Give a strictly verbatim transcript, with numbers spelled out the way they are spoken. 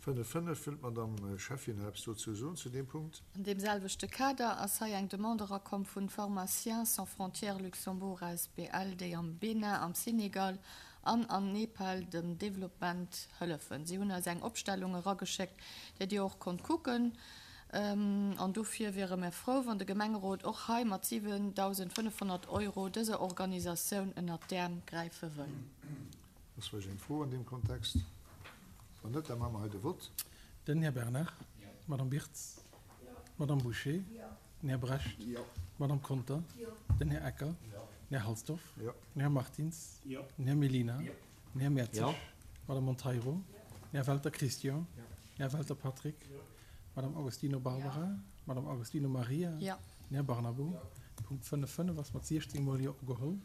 Fënnef fënnef Wëllt d'Madame Schäffin nach eppes dozou soen zu deem Punkt? An deem selwechte Kader ass hei eng Demande erakomm vun Pharmaciens sans frontières Luxembourg A S B L, déi am Benin, am Senegal an an Nepal dem Developpement hëllefen. Si hunn eis eng Opstellung erageschéckt, déi Dir och konnt kucken. An dofir wiere mir frou, wann de Gemengerot och hei mat siwendausendfënnefhonnert Euro dëser Organisatioun ënnert d'Äerm gräife wëll. Ass vläicht eng Fro an deem Kontext? Wann net, da maache mer hei de Vott. Den Här Bernard. D'Madame Birtz. D'Madame Bouché. Den Här Brecht. D'Madame Conter. Den Här Ecker. Den Här Halsdorf. Den Här Martins. Den Här Mellina. Den Här Mertzig. D'Madame Monteiro. Den Här Welter Christian. Den Här Welter Patrick. D'Madame Agostino Barbara. D'Madame Agostino Maria. Den Här Barnabo. Punkt fënnef fënnef ass mat siechzéng Mol Jo ugeholl.